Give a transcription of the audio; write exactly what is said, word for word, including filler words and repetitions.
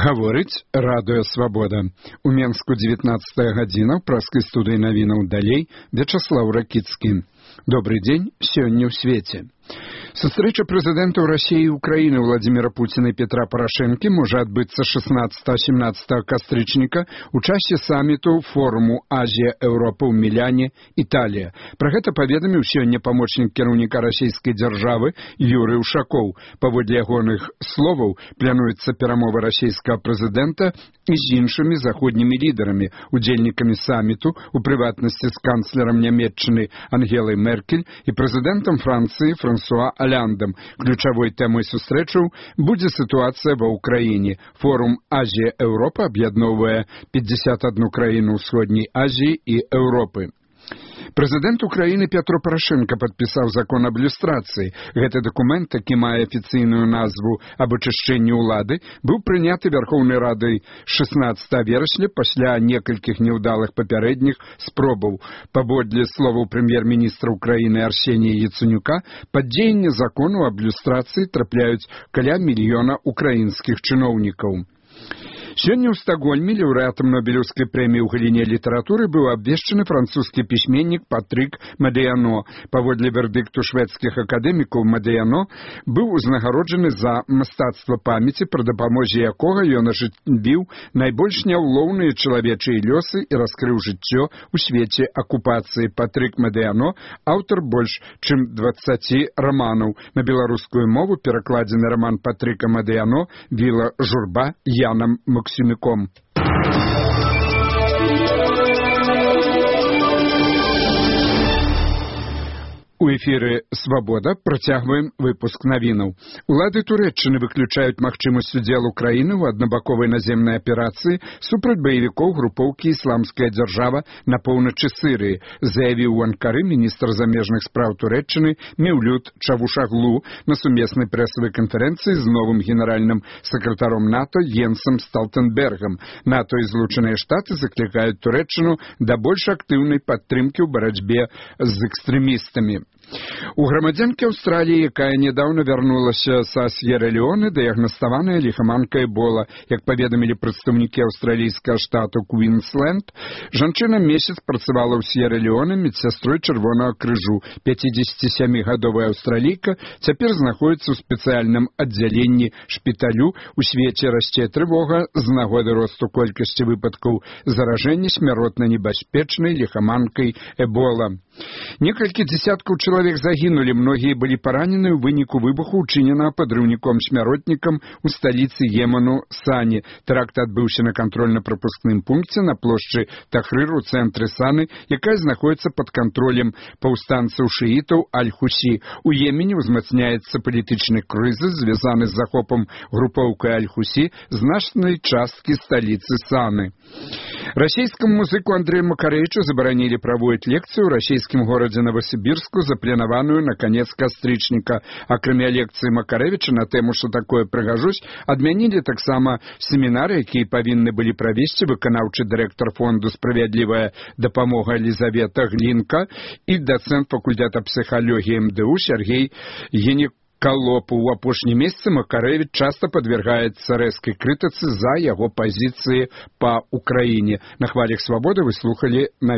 Гаворыць радыё «Свабода». У Менску дзевятнаццатая гадзіна, ў праскай студыі навінаў далей Вячаслаў Ракіцкі. Добрый дзень, сёння ў свеце. Сустрэча прэзідэнтаў Расіі і Украіны Владзіміра Пуціна і Петра Парашэнкі можа адбыцца шаснаццатага-сямнаццатага кастрычніка ў часе саміту форуму Азія-Еўропа ў Міляне, Італія. Пра гэта паведаміў сёння памочнік кіраўніка расійскай дзяржавы Юрый Ушакоў. Паводле ягоных словаў, плануецца перамовы расійскага прэзідэнта і з іншымі заходнімі лідарамі, удзельнікамі саміту, у прыватнасці з канцлерам Нямецчыны Ангелай Меркель і прэзідэнтам Францыі Франсуа Оляндам. Ключавой тэмай сустрэчаў будзе сітуацыя ва ўкраіне. Форум Азія-Еўропа аб'ядноўвае пятьдесят одну краіну ўсходняй Азіі і Еўропы. Прэзідэнт Украіны Петро Парашэнка падпісаў закон аб люстрацыі. Гэты дакумент, які мае афіцыйную назву аб ачышчэнні ўлады, быў прыняты Вярхоўнай Радай шаснаццатага верасня пасля некалькіх няўдалых папярэдніх спробаў. Паводле словаў прэм'ер-міністра Украіны Арсенія Яценюка, пад дзеянне закону аб люстрацыі трапляюць каля мільёна украінскіх чыноўнікаў. Сёння ў Стакгольме лаўрэатам Нобелеўскай прэміі ў галіне літаратуры быў абвешчаны французскі пісьменнік Патрык Мадыяно. Паводле вердыкту шведскіх акадэмікаў, Мадыяно быў узнагароджаны за мастацтва памяці, пры дапамозе якога ён ажывіў найбольш няўлоўныя чалавечыя лёсы і раскрыў жыццё ў свеце акупацыі. Патрык Мадыяно — аўтар больш чым дваццаці раманаў. На беларускую мову перакладзены раман Патрыка Мадыяно «Віла журба» Янам Максимюком. У эфіры «Свабода» працягваем выпуск навінаў. Улады Турэччыны выключаюць магчымасць удзелу краіны ў аднабаковай наземнай аперацыі супраць баевікоў групоўкі «Ісламская дзяржава» на поўначы Сырыі, заявіў у Анкары міністр замежных спраў Турэччыны Меўлют Чавушаглу на сумеснай прэсавай канферэнцыі з новым генеральным сакратаром НАТО Йенсам Сталтэнбергам. НАТО і Злучаныя Штаты заклікаюць Турэччыну да больш актыўнай падтрымкі ў барацьбе з экстрэмістамі. У грамадзянкі Аўстраліі, якая нядаўна вярнулася са С'ера-Леоне, дыягнаставаная ліхаманка Эбола. Як паведамілі прадстаўнікі аўстралійскага штату Квінсленд, жанчына месяц працавала ў С'ера-Леоне медсястрой Чырвонага крыжу. пяцідзесяцісямігадовая аўстралійка цяпер знаходзіцца ў спецыяльным аддзяленні шпіталю. У свеце расце трывога з нагоды росту колькасці выпадкаў заражэння смяротна небяспечнай ліхаманкай Эбола. Некалькі дзесяткаў чалавек загінулі, многія былі паранены ў выніку выбуху, учыненага падрыўніком-смяротнікам у сталіцы Йемену Сане. Тэракт адбыўся на кантрольна-прапускным пункце на плошчы Тахрыр у цэнтры Саны, якая знаходзіцца пад кантролем паўстанцаў шыітаў Аль-Хусі. У Йемене ўзмацняецца палітычны крызіс, звязаны з захопам групоўкай Аль-Хусі значнай часткі сталіцы Саны. Расійскаму музыку Андрэю Макарэвічу забаранілі праводзіць лекцыю ў расійскім горадзе Новасібірску, запланаваную на канец кастрычніка. Акрамя лекцыі Макарэвіча на тэму «Што такое прыгажусь», адмянілі таксама семінары, якія павінны былі правесці выканаўчы дырэктар фонду «Справядлівая дапамога» Елізавета Глінка і дацэнт факультэта псіхалогіі эм дэ у Сергей Генек. Калопу. У апошнім месяцы Макарэвіч часта падвергаецца рэзкай крытыцы за яго пазіцыі па Украіне. На хвалях «Свабоды» вы слухалі на